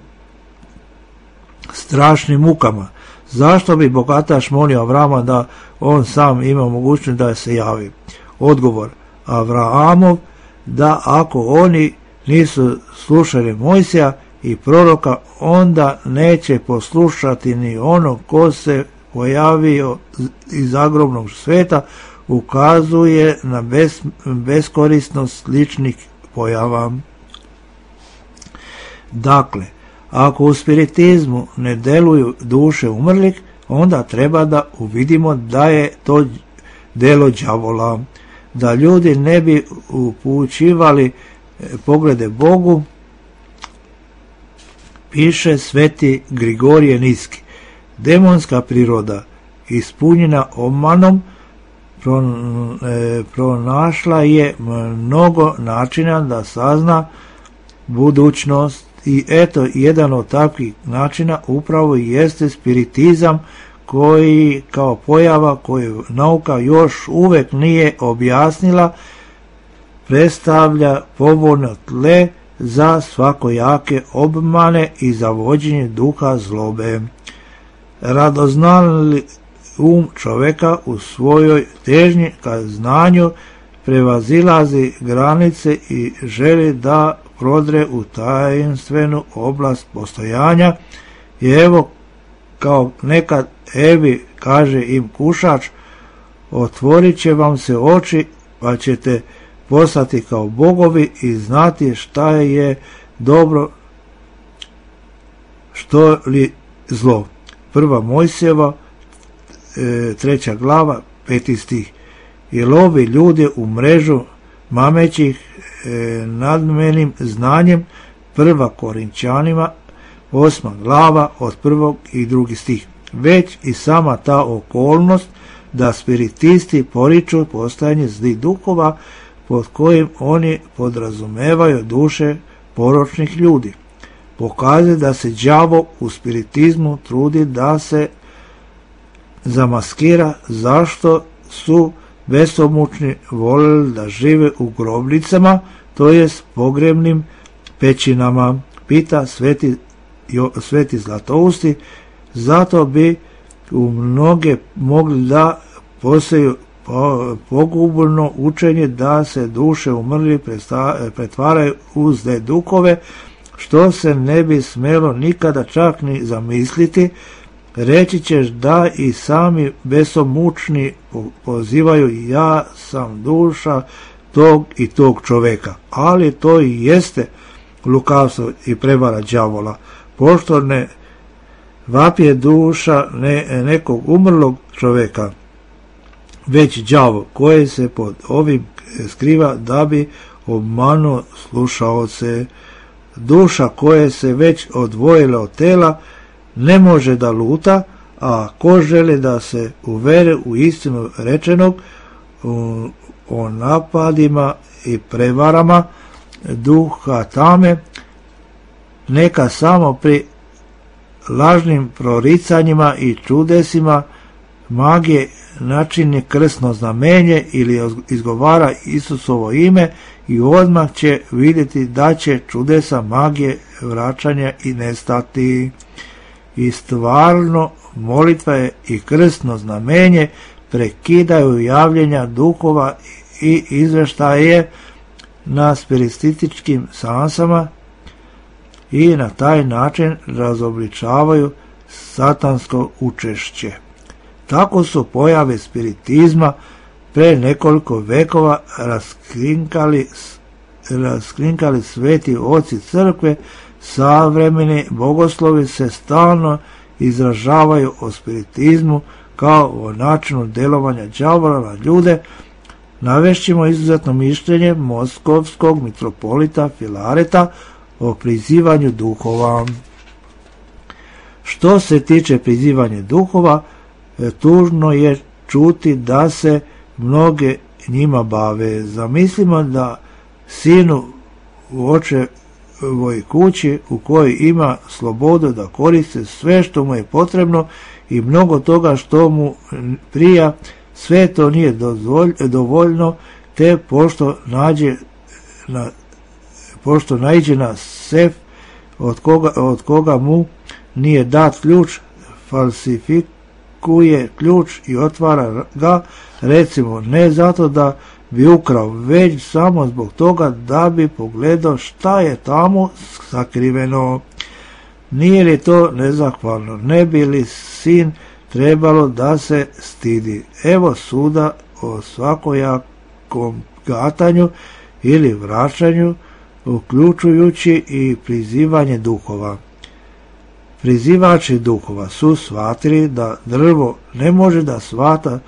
strašnim mukama. Zašto bi bogataš molio Avrama da on sam ima mogućnost da se javi? Odgovor Avraamov, da ako oni nisu slušali Mojsija i proroka, onda neće poslušati ni ono ko se pojavio iz zagrobnog sveta, ukazuje na bes, beskorisnost sličnih pojava. Dakle, ako u spiritizmu ne deluju duše umrlih, onda treba da uvidimo da je to delo đavola. Da ljudi ne bi upućivali poglede Bogu, piše sveti Grigorije Niski. Demonska priroda, ispunjena obmanom, pronašla je mnogo načina da sazna budućnost i eto, jedan od takvih načina upravo jeste spiritizam, koji kao pojava koju nauka još uvek nije objasnila, predstavlja povoljno tle za svakojake obmane i za vođenje duha zlobe. Radoznali um čoveka u svojoj težnji ka znanju prevazilazi granice i želi da prodre u tajenstvenu oblast postojanja i evo, kao nekad Evi kaže im kušač, otvorit će vam se oči pa ćete postati kao bogovi i znati šta je dobro što li zlo. Prva Mojsijeva, e, treća glava, peti stih. I lovi ljude u mrežu mamećih e, nadmenim znanjem. Prva Korinčanima, osma glava, od prvog i drugi stih. Već i sama ta okolnost da spiritisti poriču postojanje zlih duhova pod kojim oni podrazumevaju duše poročnih ljudi. Pokazuje da se đavo u spiritizmu trudi da se zamaskira zašto su besomučni volili da žive u grobnicama, to jest pogrebnim pećinama, pita sveti, jo, sveti Zlatousti, zato bi u mnoge mogli da poseju pogubno učenje da se duše umrli pretvaraju u zle duhove, što se ne bi smelo nikada čak ni zamisliti. Reći ćeš da i sami besomučni pozivaju ja sam duša tog i tog čoveka, ali to i jeste lukavstvo i prevara đavola, pošto ne vapije duša ne, nekog umrlog čoveka, već đavo koje se pod ovim skriva da bi obmanuo slušaoce. Duša koje se već odvojila od tela ne može da luta, a ko želi da se uvere u istinu rečenog u, o napadima i prevarama duha tame, neka samo pri lažnim proricanjima i čudesima magije načini krsno znamenje ili izgovara Isusovo ime i odmah će vidjeti da će čudesa magije vraćanja i nestati. I stvarno molitva je i krsno znamenje prekidaju javljenja duhova i izveštaje na spiritističkim seansama i na taj način razobličavaju satansko učešće. Tako su pojave spiritizma pre nekoliko vekova raskrinkali, raskrinkali sveti oci crkve. Savremeni bogoslovi se stalno izražavaju o spiritizmu kao o načinu delovanja đavola na ljude. Navešćemo izuzetno mišljenje moskovskog mitropolita Filareta o prizivanju duhova. Što se tiče prizivanja duhova, tužno je čuti da se mnoge njima bave. Zamislimo da sinu u očevoj kući u kojoj ima slobodu da koriste sve što mu je potrebno i mnogo toga što mu prija, sve to nije dovoljno, te pošto nađe na, pošto naiđe na sef od koga, od koga mu nije dat ključ, falsifikuje ključ i otvara ga, recimo ne zato da bi ukrao, već samo zbog toga da bi pogledao šta je tamo sakriveno. Nije li to nezahvalno? Ne bi li sin trebalo da se stidi? Evo suda o svakojakom gatanju ili vraćanju, uključujući i prizivanje duhova. Prizivači duhova su shvatili da drvo ne može da shvata,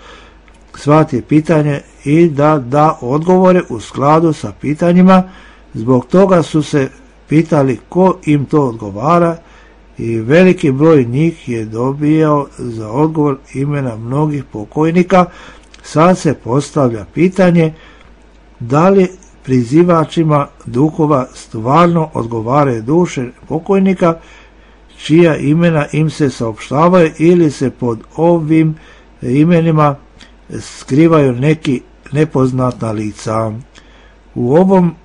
shvati pitanje i da da odgovore u skladu sa pitanjima. Zbog toga su se pitali ko im to odgovara i veliki broj njih je dobijao za odgovor imena mnogih pokojnika. Sad se postavlja pitanje da li prizivačima duhova stvarno odgovaraju duše pokojnika čija imena im se saopštavaju ili se pod ovim imenima skrivaju neki nepoznata lica. U ovom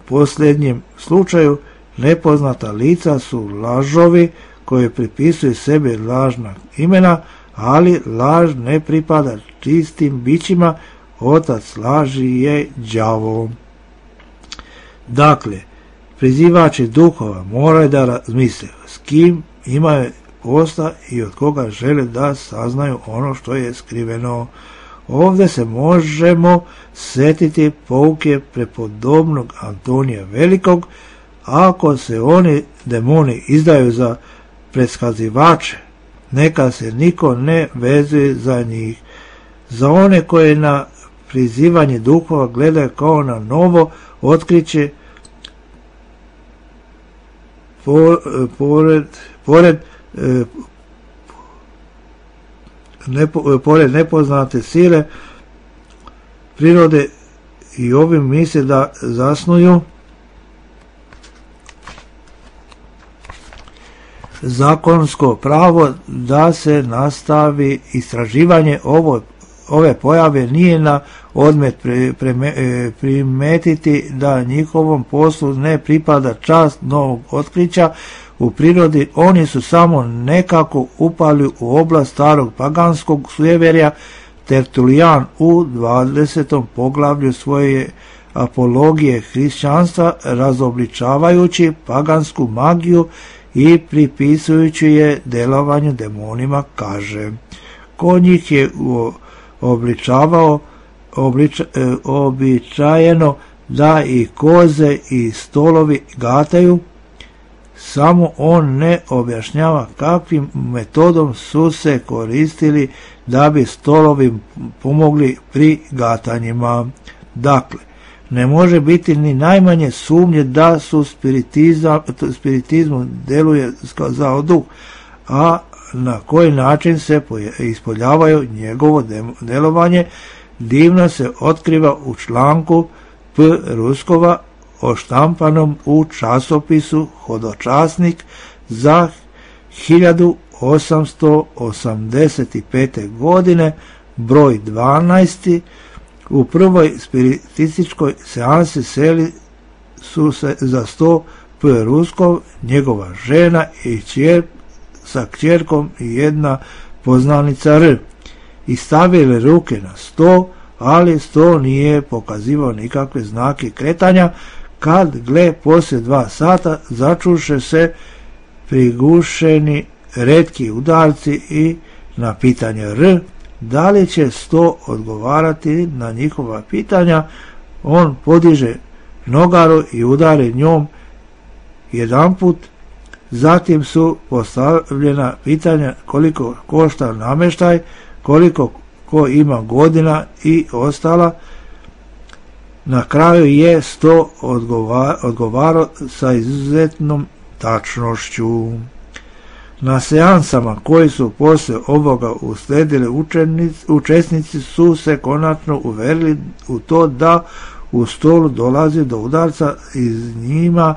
posljednjem slučaju nepoznata lica su lažovi koji pripisuju sebi lažna imena, ali laž ne pripada čistim bićima, otac laži je đavo. Dakle, prizivači duhova moraju da razmisle s kim imaju posla i od koga žele da saznaju ono što je skriveno. Ovdje se možemo setiti pouke prepodobnog Antonija Velikog. Ako se oni demoni izdaju za preskazivače, neka se niko ne vezuje za njih. Za one koje na prizivanje duhova gledaju kao na novo otkriće, pored, pored, nepo, pored nepoznate sile prirode, i ovim misle da zasnuju zakonsko pravo da se nastavi istraživanje ovo, ove pojave. Nije na odmet pre, pre, primetiti da njihovom poslu ne pripada čast novog otkrića u prirodi. Oni su samo nekako upali u oblast starog paganskog sujeverja. Tertulijan u dvadesetom poglavlju svoje apologije hrišćanstva, razobličavajući pagansku magiju i pripisujući je delovanju demonima, kaže: ko njih je obličavao obliča, običajeno da i koze i stolovi gataju, samo on ne objašnjava kakvim metodom su se koristili da bi stolovi pomogli pri gatanjima. Dakle, ne može biti ni najmanje sumnje da su spiritizmu deluje za duh, a na koji način se ispoljavaju njegovo delovanje divno se otkriva u članku P. Ruskova oštampanom u časopisu Hodočasnik za hiljadu osamsto osamdeset pete. godine, broj dvanaest. U prvoj spiritističkoj seansi seli su se za sto P. Ruskov, njegova žena i čer, sa kćerkom i jedna poznanica R. I stavili ruke na sto, ali sto nije pokazivao nikakve znake kretanja. Kad gle poslije dva sata začuše se prigušeni retki udarci i na pitanje R da li će sto odgovarati na njihova pitanja, on podiže nogaru i udari njom jedanput. Zatim su postavljena pitanja koliko košta namještaj, koliko ko ima godina i ostala. Na kraju je sto odgovarao sa izuzetnom tačnošću. Na seansama koji su poslije ovoga usledili učesnici su se konačno uverili u to da u stolu dolazi do udarca iz njima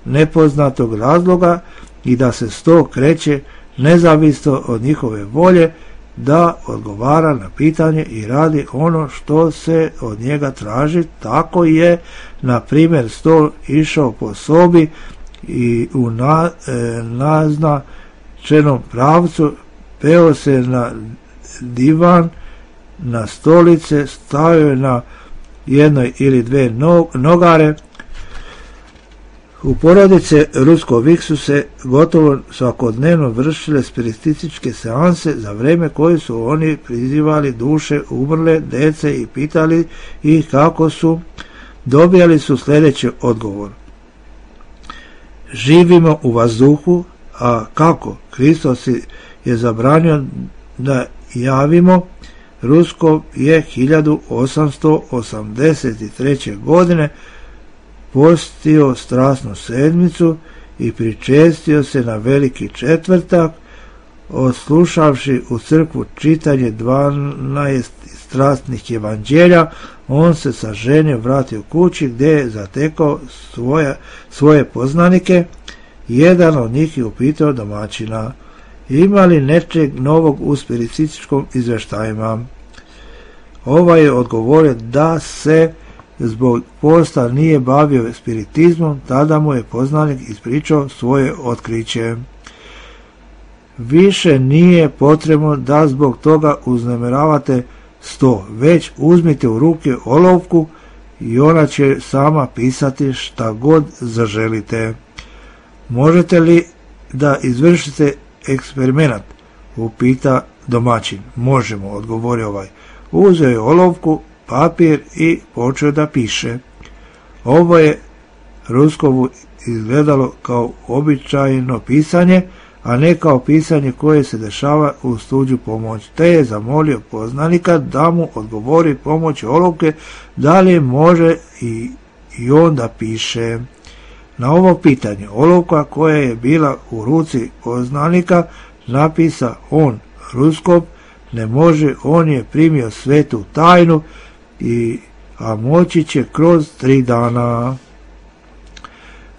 nepoznatog razloga i da se sto kreće nezavisno od njihove volje, da odgovara na pitanje i radi ono što se od njega traži. Tako je, na primjer, sto išao po sobi i u na, e, naznačenom pravcu, peo se na divan, na stolice, stavio na jednoj ili dve nogare. U porodice Ruskovih su se gotovo svakodnevno vršile spiritističke seanse, za vrijeme koje su oni prizivali duše umrle dece i pitali ih kako su. Dobijali su sljedeći odgovor: živimo u vazduhu, a kako? Hristos je zabranio da javimo. Ruskov je hiljadu osamsto osamdeset treće. godine postio strasnu sedmicu i pričestio se na veliki četvrtak. Odslušavši u crkvu čitanje dvanaest strasnih evanđelja, on se sa ženje vratio kući gdje je zatekao svoje, svoje poznanike. Jedan od njih je upitao domaćina: ima li nečeg novog u spiritističkom izvještajima? Ovaj je odgovorio da se zbog posta nije bavio spiritizmom. Tada mu je poznanik ispričao svoje otkriće. Više nije potrebno da zbog toga uznemiravate sto, već uzmite u ruke olovku i ona će sama pisati šta god zaželite. Možete li da izvršite eksperiment? Upita domaćin. Možemo, odgovorio ovaj. Uzeo je olovku, papir i počeo da piše. Ovo je Ruskovu izgledalo kao običajno pisanje, a ne kao pisanje koje se dešava uz tuđu pomoć, te je zamolio poznanika da mu odgovori pomoći olovke da li može i, i on da piše. Na ovo pitanje olovka koja je bila u ruci poznanika napisa on Ruskov ne može, on je primio svetu tajnu, i, a moći će kroz tri dana.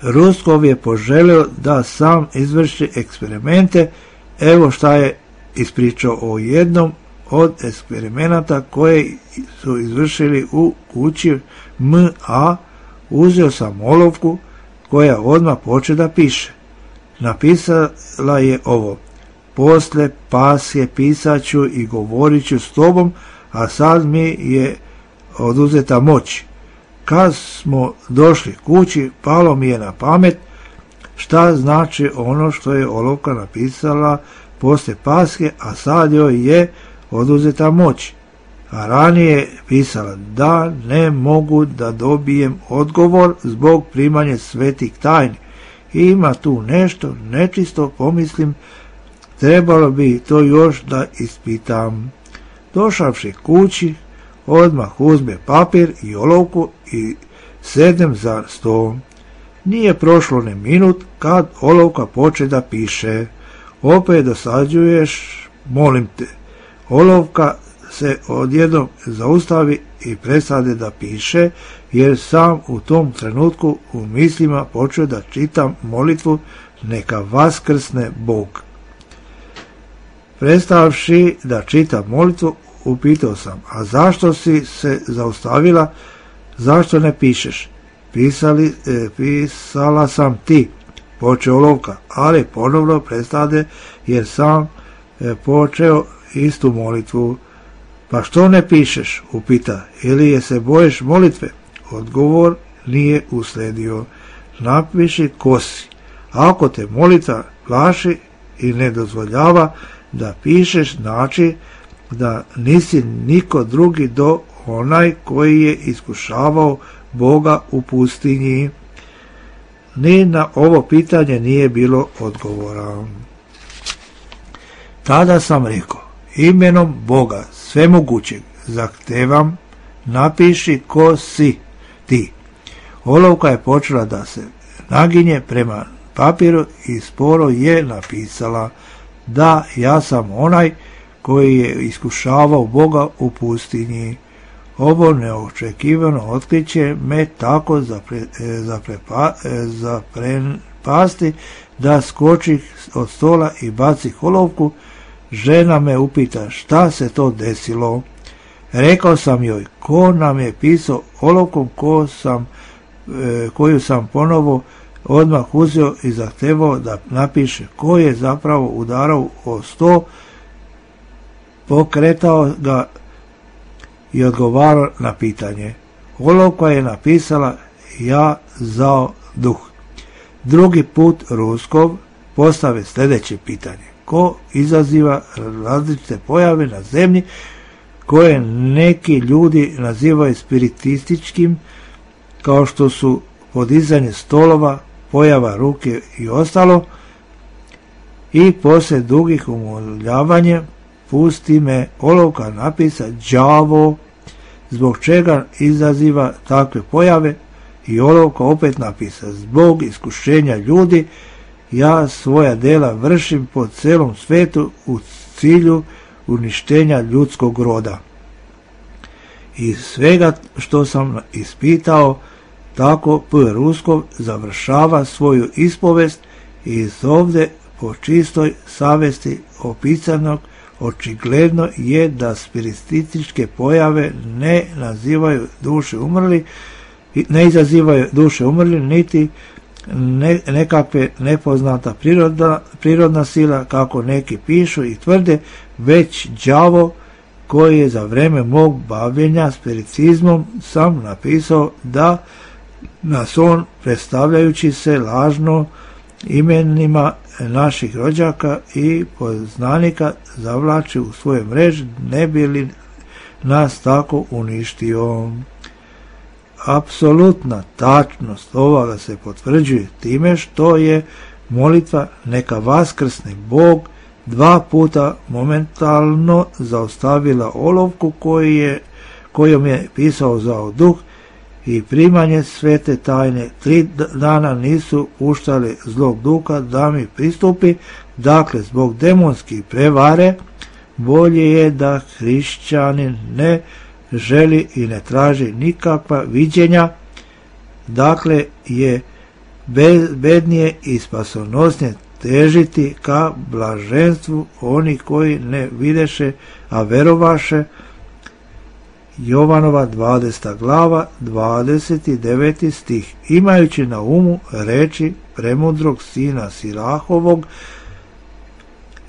Ruskov je poželio da sam izvrši eksperimente. Evo šta je ispričao o jednom od eksperimenata koje su izvršili u kući M A. Uzeo sam olovku koja odmah poče da piše. Napisala je ovo: posle Pasje pisat ću i govorit ću s tobom, a sad mi je oduzeta moć. Kad smo došli kući, palo mi je na pamet šta znači ono što je olovka napisala posle Paske, a sad joj je oduzeta moć. A ranije pisala da ne mogu da dobijem odgovor zbog primanja svetih tajni. Ima tu nešto nečisto, pomislim, trebalo bi to još da ispitam. Došavši kući, odmah uzme papir i olovku i sednem za sto. Nije prošlo ni minut kad olovka poče da piše. Opet dosađuješ, molim te. Olovka se odjednom zaustavi i prestade da piše, jer sam u tom trenutku u mislima počeo da čitam molitvu neka vaskrsne Bog. Prestavši da čitam molitvu, upitao sam: a zašto si se zaustavila, zašto ne pišeš? Pisali, e, pisala sam ti, počeo olovka, ali ponovno prestade jer sam e, počeo istu molitvu. Pa što ne pišeš, upita, ili je se bojiš molitve? Odgovor nije usledio. Napiši ko si. Ako te molitva plaši i ne dozvoljava da pišeš, znači da nisi niko drugi do onaj koji je iskušavao Boga u pustinji. Ni na ovo pitanje nije bilo odgovora. Tada sam rekao: imenom Boga svemogućeg zahtevam, napiši ko si ti. Olovka je počela da se naginje prema papiru i sporo je napisala: da, ja sam onaj koji je iskušavao Boga u pustinji. Ovo neočekivano otkriće me tako zapre, zaprepa, zaprepasti da skoči od stola i baci olovku. Žena me upita šta se to desilo. Rekao sam joj ko nam je pisao olovkom ko sam, e, koju sam ponovo odmah uzeo i zahtevao da napiše, ko je zapravo udarao o sto, pokretao ga i odgovarao na pitanje. Olovka je napisala: ja zao duh. Drugi put Ruskov postave sljedeće pitanje: ko izaziva različite pojave na zemlji koje neki ljudi nazivaju spiritističkim, kao što su podizanje stolova, pojava ruke i ostalo, i poslije dugih umoljavanja pusti me olovka napisa đavo, zbog čega izaziva takve pojave, i olovka opet napisa: zbog iskušenja ljudi ja svoja dela vršim po celom svetu u cilju uništenja ljudskog roda. Iz svega što sam ispitao, tako P. Ruskov završava svoju ispovest i iz ovde po čistoj savesti opisanog očigledno je da spiritističke pojave ne nazivaju duše umrli, ne izazivaju duše umrli, niti ne, nekakve nepoznata prirodna, prirodna sila, kako neki pišu i tvrde, već đavo koji je za vreme mog bavljenja spiritizmom sam napisao da nas on, predstavljajući se lažno imenima naših rođaka i poznanika, zavlači u svoje mreže, ne bi li nas tako uništio. Apsolutna tačnost ovoga se potvrđuje time što je molitva neka vaskrsne Bog dva puta momentalno zaustavila olovku koji je, kojom je pisao zao duh i primanje svete tajne. Tri dana nisu puštali zlog duha da mi pristupi. Dakle, zbog demonskih prevare bolje je da hrišćanin ne želi i ne traži nikakva viđenja. Dakle, je bednije i spasonosnije težiti ka blaženstvu onih koji ne videše, a verovaše. Jovanova dvadeseta glava, dvadeset deveti stih. Imajući na umu reči premudrog sina Sirahovog,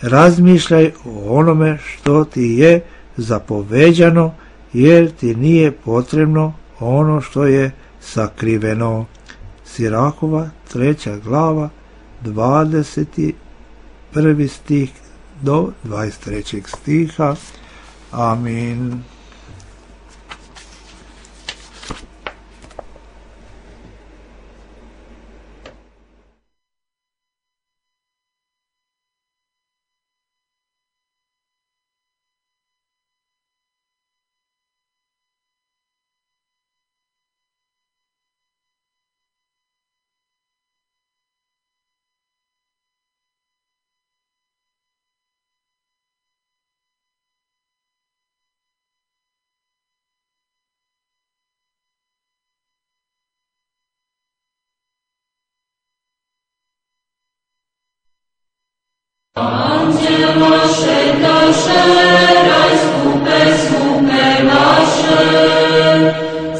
razmišljaj o onome što ti je zapoveđano, jer ti nije potrebno ono što je sakriveno. Sirahova treća glava, dvadeset prvi stih do dvadeset trećeg stiha. Amin. Anđelo šetaše, raj skupe, skupe naše,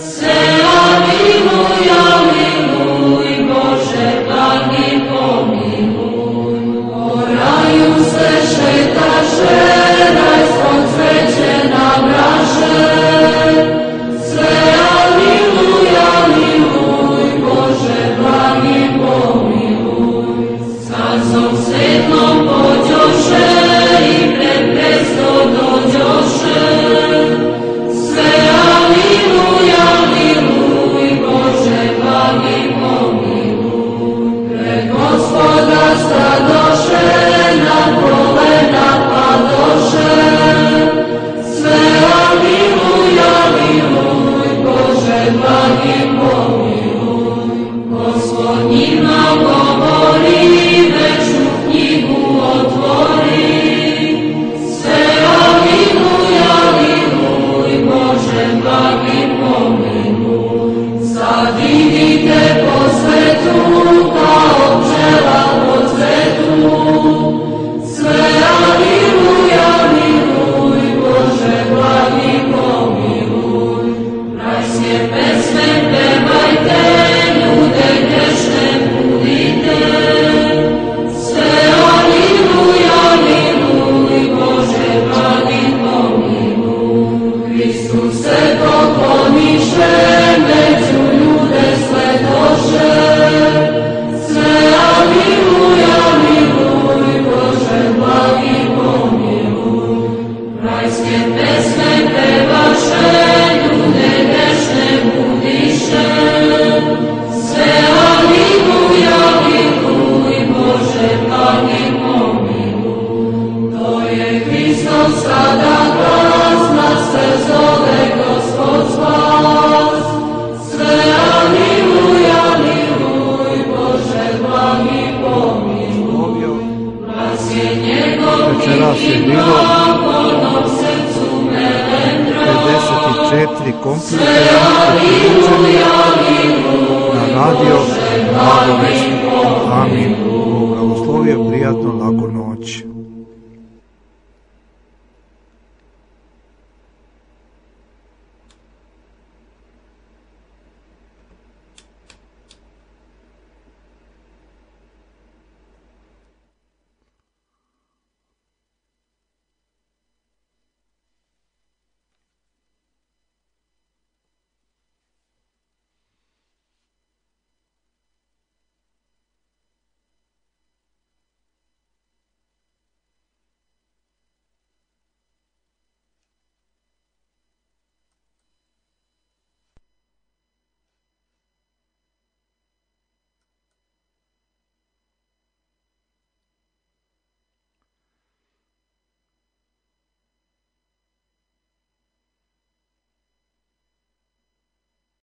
se aliluj, aliluj, Bože, blagi pomiluj. O raju se šetaše, rajsko cveće nabraše, se aliluj, aliluj, Bože, blagi pomiluj. Sazom svetnom pođoše i pred presto dođoše, sve aliluj, aliluj, Bože, blagi pomiluj. Pred Gospoda stadoše, na kolena padoše, sve aliluj, aliluj, Bože, blagi pomiluj. Gospod njima govori, večnu knjigu otvori, sve aliluj, aliluj, Bože, blagi pomiluj. Sad idite po svetu, kao pčela po cvetu, sve aliluj, aliluj, Bože, blagi pomiluj. Rajske pesme pevajte, ljude grešne budite, sve aliluj, aliluj, Bože, blagi pomiluj. Hristus se pokloniše, među ljude sledoše, sve aliluj, aliluj, Bože, blagi pomiluj. Rajske pesme pevaše, ljude grešne budiše, sve aliluj, aliluj, Bože, blagi pomiluj. To je Hristos sada glas, nas se zove Gospod spas, sve aliluj, aliluj, Bože, blagi pomiluj. Glas je njegov i glagonom srcu melendra, pedeset četiri kompjuter sve aliluj, aliluj, na radio Bože, blagi Amin. pomiluj. Bog blagoslovio, prijatno, laku noć.